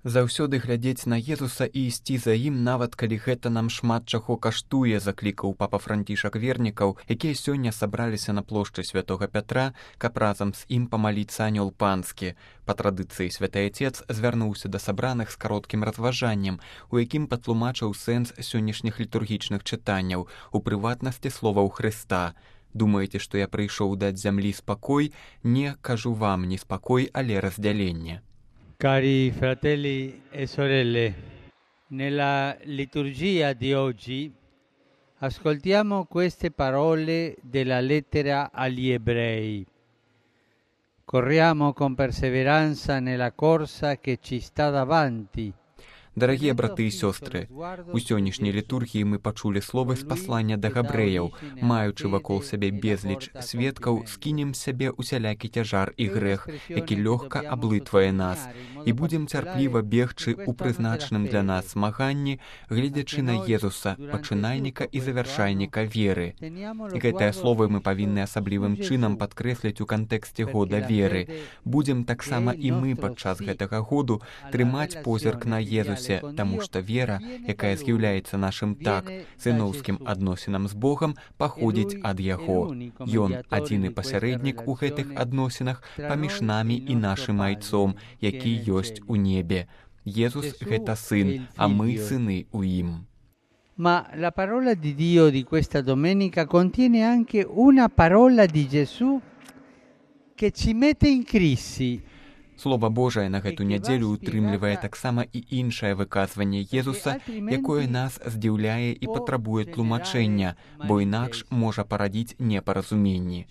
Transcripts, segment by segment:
Заўсёды глядзець на Езуса і ісці за ім, нават калі гэта нам шмат чаго каштуе, заклікаў папа Францішак вернікаў, якія сёння сабраліся на плошчы святога Пятра, каб разам з ім памаліцца анёл панскі. Па традыцыі святы Отец звярнуўся да сабраных з кароткім разважаннем, у якім патлумачыў сэнс сённяшніх літургічных чытанняў, у прыватнасці словаў Хрыста. Думаеце, што я прыйшоў даць зямлі спакой? Не, кажу вам, не спакой, але раздзяленне. Cari fratelli e sorelle, nella liturgia di oggi ascoltiamo queste parole della lettera agli Ebrei. Corriamo con perseveranza nella corsa che ci sta davanti. Дарагія браты і сёстры, у сённяшняй літургіі мы пачулі словы з паслання да габрэяў. Маючы вакол сябе безліч сведкаў, скінем з сябе усялякі цяжар і грэх, які лёгка аблытвае нас, і будзем цярпліва бегчы ў прызначаным для нас змаганні, гледзячы на Езуса, пачынальніка і завяршальніка веры. І гэтыя словы мы павінны асаблівым чынам падкрэсліць у кантэксце года веры. Будзем таксама і мы падчас гэтага году трымаць позірк на Езусе, таму што вера, якая з'яўляецца нашым сыноўскім адносінам з Богам, паходзіць ад Яго. Ён адзіны пасярэднік у гэтых адносінах паміж намі і нашым айцом, які ёсць у небе. Езус — гэта сын, а мы сыны ў ім. Ma la parola di Dio di questa domenica contiene anche una parola di Gesù che ci mette in crisi. Слова Божае на гэту нядзелю утрымлівае таксама і іншае выказванне Езуса, якое нас здзіўляе і патрабуе тлумачэння, бо інакш можа парадзіць непаразуменні.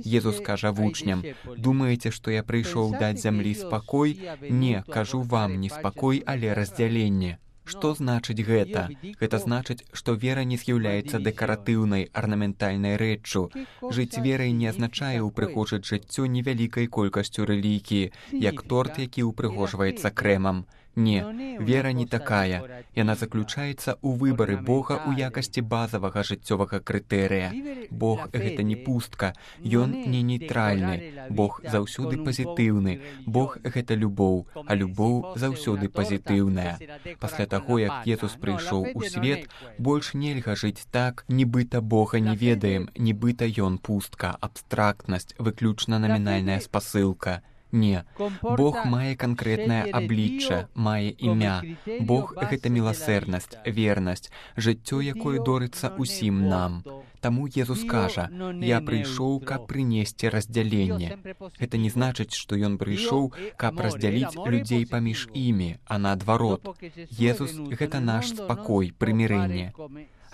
Езус кажа вучням: «Думаеце, што я прыйшоў даць зямлі спакой? Не, кажу вам, не спакой, але раздзяленне». Што значыць гэта? Гэта значыць, што вера не з'яўляецца дэкаратыўнай, арнаментальнай рэччу. Жыць верай не азначае ўпрыгожыць жыццё невялікай колькасцю рэлігіі, як торт, які ўпрыгожваецца крэмам. Не, вера не такая. Яна заключаецца ў выбары Бога ў якасці базавага жыццёвага крытэрыя. Бог — гэта не пустка, ён не нейтральны. Бог заўсёды пазітыўны. Бог — гэта любоў, а любоў заўсёды пазітыўная. Пасля таго, як Езус прыйшоў у свет, больш нельга жыць так, нібыта Бога не ведаем, нібыта ён пустка, абстрактнасць, выключна намінальная спасылка. Не, Бог мае канкрэтнае аблічча, мае імя. Бог — гэта міласэрнасць, вернасць, жыццё, якое дорыцца ўсім нам. Таму Езус кажа: «Я прыйшоў, каб прынесці раздзяленне». Гэта не значыць, што ён прыйшоў, каб раздзяліць людзей паміж імі, а наадварот. Езус — гэта наш спакой, прымірэнне.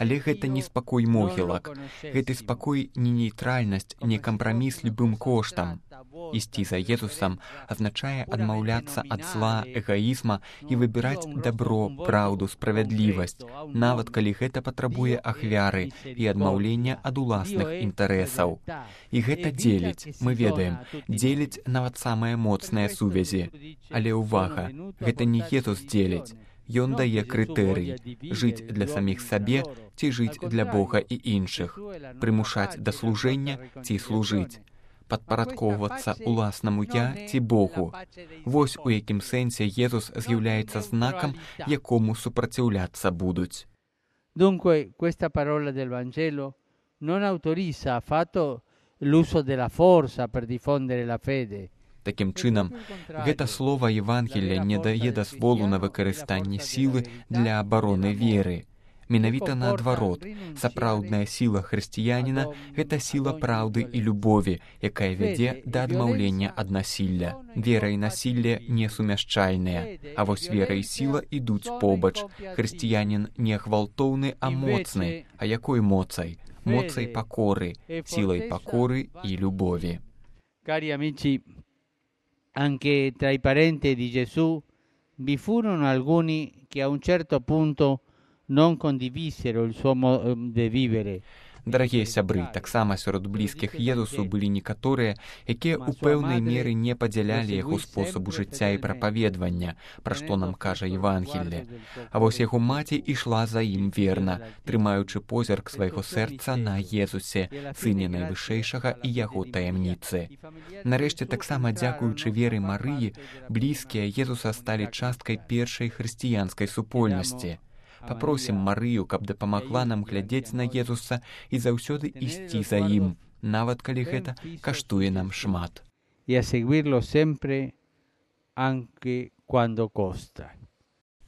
Але гэта не спакой могілак. Гэты спакой не нейтральнасць, не кампраміс любым коштам. Ісці за Езусам азначае адмаўляцца ад зла, эгаізма і выбіраць дабро, праўду, справядлівасць, нават калі гэта патрабуе ахвяры і адмаўлення ад уласных інтарэсаў. І гэта дзеліць, мы ведаем, дзеліць нават самыя моцныя сувязі. Але ўвага, гэта не Езус дзеліць. Ён дае крытэрый — жыць для саміх сабе ці жыць для Бога і іншых, прымушаць да служэння ці служыць, падпарадкоўвацца ўласнаму «я» ці Богу. Вось у якім сэнсе Езус з'яўляецца знакам, якому супраціўляцца будуць. Dunque, questa parola del Vangelo non autorizza affatto l'uso della forza per diffondere la fede. Такім чынам, гэта слова Евангелія не дае дазволу на выкарыстанне сілы для абароны веры. Менавіта наадварот, сапраўдная сіла хрысціяніна — гэта сіла праўды і любові, якая вядзе да адмаўлення ад насілля. Вера і насілле несумяшчальныя, а вось вера і сіла ідуць побач. Хрысціянін не гвалтоўны, а моцны. А якой моцай? Моцай пакоры, сілай пакоры і любові. Cari amici, anche tra i parenti di Gesù vi furono alcuni che a un certo punto non condivisero il suo modo di vivere. Дарагія сябры, таксама сярод блізкіх Езусу былі некаторыя, якія ў пэўнай меры не падзялялі яго спосабу жыцця і прапаведвання, пра што нам кажа Евангелле. А вось яго маці ішла за ім верна, трымаючы позірк свайго сэрца на Езусе, сыне найвышэйшага і яго таямніцы. Нарэшце, таксама дзякуючы веры Марыі, блізкія Езуса сталі часткай першай хрысціянскай супольнасці. Папросім Марыю, каб дапамагла нам глядзець на Езуса і заўсёды ісці за ім, нават калі гэта каштуе нам шмат. І a seguirlo sempre anche quando costa.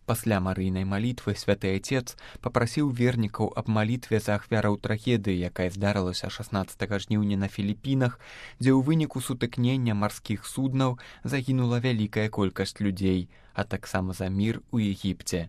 Пасля Марыйнай малітвы святы Отец папрасіў вернікаў аб малітве за ахвяраў трагедыі, якая здарылася 16 жніўня на Філіпінах, дзе ў выніку сутыкнення марскіх суднаў загінула вялікая колькасць людзей, а таксама за мір у Егіпце.